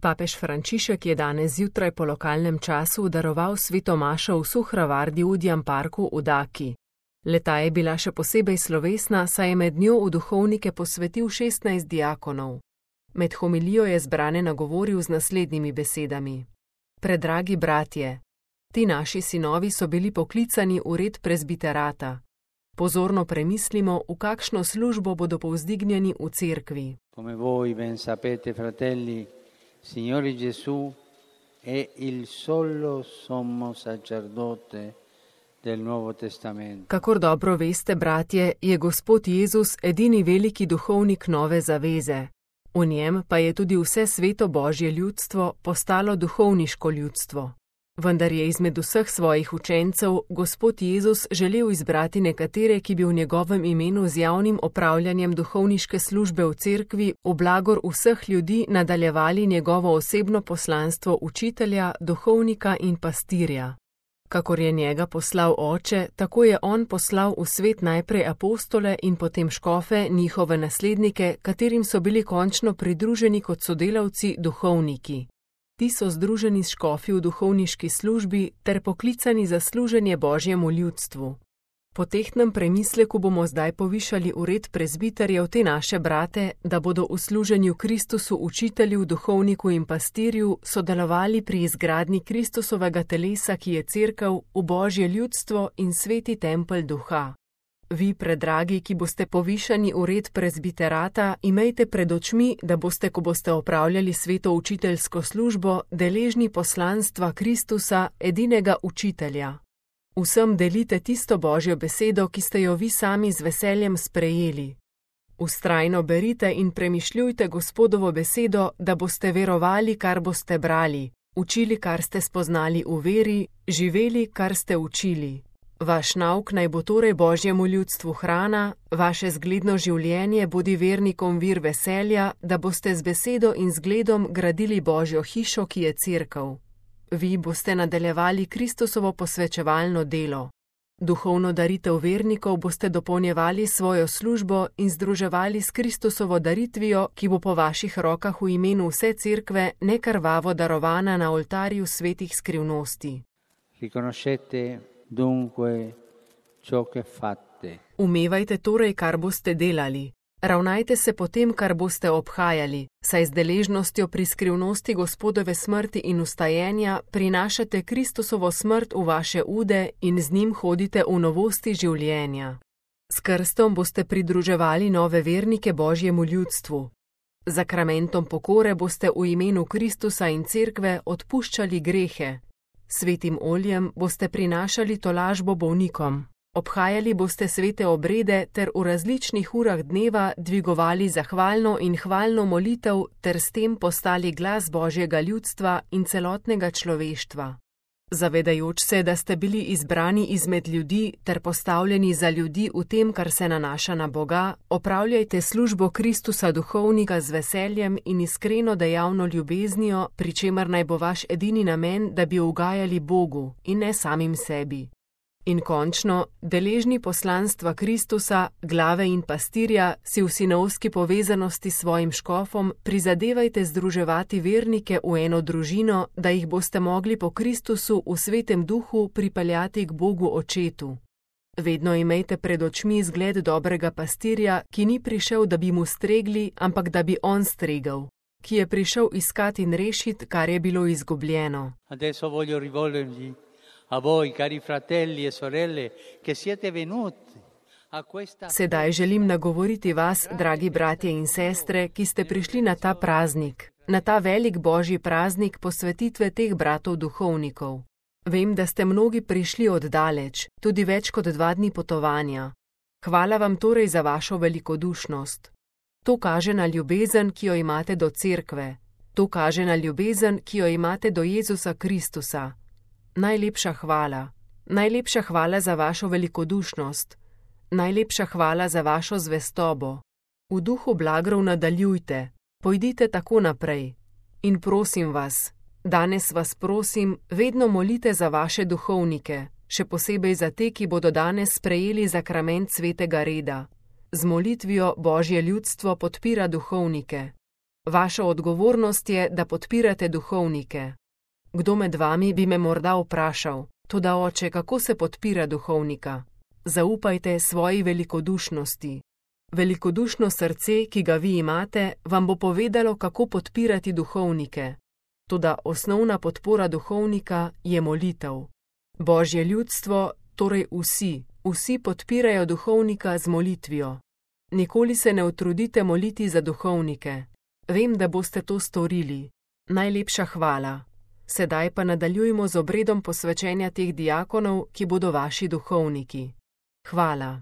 Papež Frančišek je danes zjutraj po lokalnem času daroval sveto mašo v Suhravardi v Udjem parku v Daki. Le-ta je bila še posebej slovesna, saj je med njo v duhovnike posvetil 16 diakonov. Med homilijo je zbrane nagovoril z naslednjimi besedami. Predragi bratje, ti naši sinovi so bili poklicani v red prezbiterata. Pozorno premislimo, v kakšno službo bodo povzdignjeni v cerkvi. Come voi ben sapete, fratelli, Signore Gesù è il solo sommo sacerdote del Nuovo Testamento. Kakor dobro veste, bratje, je Gospod Jezus edini veliki duhovnik nove zaveze. V njem pa je tudi vse sveto Božje ljudstvo postalo duhovniško ljudstvo. Vendar je izmed vseh svojih učencev Gospod Jezus želel izbrati nekatere, ki bi v njegovem imenu z javnim opravljanjem duhovniške službe v cerkvi v blagor vseh ljudi nadaljevali njegovo osebno poslanstvo učitelja, duhovnika in pastirja. Kakor je njega poslal Oče, tako je on poslal v svet najprej apostole in potem škofe, njihove naslednike, katerim so bili končno pridruženi kot sodelavci duhovniki. Ti so združeni s škofi v duhovniški službi ter poklicani za služenje Božjemu ljudstvu. Po tehtnem premisleku bomo zdaj povišali v red prezbiterjev te naše brate, da bodo v služenju Kristusu učitelju, duhovniku in pastirju sodelovali pri izgradnji Kristusovega telesa, ki je cerkev, v Božje ljudstvo in sveti tempelj duha. Vi, predragi, ki boste povišani v red prezbiterata, imejte pred očmi, da boste, ko boste opravljali sveto učiteljsko službo, deležni poslanstva Kristusa, edinega učitelja. Vsem delite tisto Božjo besedo, ki ste jo vi sami z veseljem sprejeli. Vztrajno berite in premišljujte Gospodovo besedo, da boste verovali, kar boste brali, učili, kar ste spoznali v veri, živeli, kar ste učili. Vaš nauk naj bo torej Božjemu ljudstvu hrana, vaše zgledno življenje bodi vernikom vir veselja, da boste z besedo in zgledom gradili Božjo hišo, ki je cerkev. Vi boste nadaljevali Kristusovo posvečevalno delo. Duhovno daritev vernikov boste dopolnjevali svojo službo in združevali s Kristusovo daritvijo, ki bo po vaših rokah v imenu vse cerkve nekrvavo darovana na oltarju svetih skrivnosti. Riconoscete dunque ciò che fate. Umevajte torej, kar boste delali. Ravnajte se po tem, kar boste obhajali, saj z deležnostjo pri skrivnosti Gospodove smrti in vstajenja prinašate Kristusovo smrt v vaše ude in z njim hodite v novosti življenja. S krstom boste pridruževali nove vernike Božjemu ljudstvu. Zakramentom pokore boste v imenu Kristusa in cerkve odpuščali grehe. Svetim oljem boste prinašali tolažbo bolnikom. Obhajali boste svete obrede ter v različnih urah dneva dvigovali zahvalno in hvalno molitev ter s tem postali glas Božjega ljudstva in celotnega človeštva. Zavedajoč se, da ste bili izbrani izmed ljudi ter postavljeni za ljudi v tem, kar se nanaša na Boga, opravljajte službo Kristusa duhovnika z veseljem in iskreno dejavno ljubeznijo, pri čemer naj bo vaš edini namen, da bi ugajali Bogu in ne samim sebi. In končno, deležni poslanstva Kristusa, glave in pastirja, si v sinovski povezanosti s svojim škofom prizadevajte združevati vernike v eno družino, da jih boste mogli po Kristusu v svetem duhu pripeljati k Bogu Očetu. Vedno imejte pred očmi zgled dobrega pastirja, ki ni prišel, da bi mu stregli, ampak da bi on stregel, ki je prišel iskati in rešiti, kar je bilo izgubljeno. Adesso voglio rivolgermi a voi, cari fratelli e sorelle, che siete venuti a questa... Sedaj želim nagovoriti vas, dragi bratje in sestre, ki ste prišli na ta praznik, na ta velik Božji praznik posvetitve teh bratov duhovnikov. Vem, da ste mnogi prišli oddaleč, tudi več kot 2 dni potovanja. Hvala vam torej za vašo velikodušnost. To kaže na ljubezen, ki jo imate do cerkve. To kaže na ljubezen, ki jo imate do Jezusa Kristusa. Najlepša hvala za vašo velikodušnost, najlepša hvala za vašo zvestobo. V duhu blagrov nadaljujte, pojdite tako naprej. In prosim vas, danes vas prosim, vedno molite za vaše duhovnike, še posebej za te, ki bodo danes sprejeli zakrament svetega reda. Z molitvijo Božje ljudstvo podpira duhovnike. Vaša odgovornost je, da podpirate duhovnike. Kdo med vami bi me morda vprašal: toda oče, kako se podpira duhovnika? Zaupajte svoji velikodušnosti. Velikodušno srce, ki ga vi imate, vam bo povedalo, kako podpirati duhovnike. Toda osnovna podpora duhovnika je molitev. Božje ljudstvo, torej vsi podpirajo duhovnika z molitvijo. Nikoli se ne utrudite moliti za duhovnike. Vem, da boste to storili. Najlepša hvala. Sedaj pa nadaljujmo z obredom posvečenja teh diakonov, ki bodo vaši duhovniki. Hvala.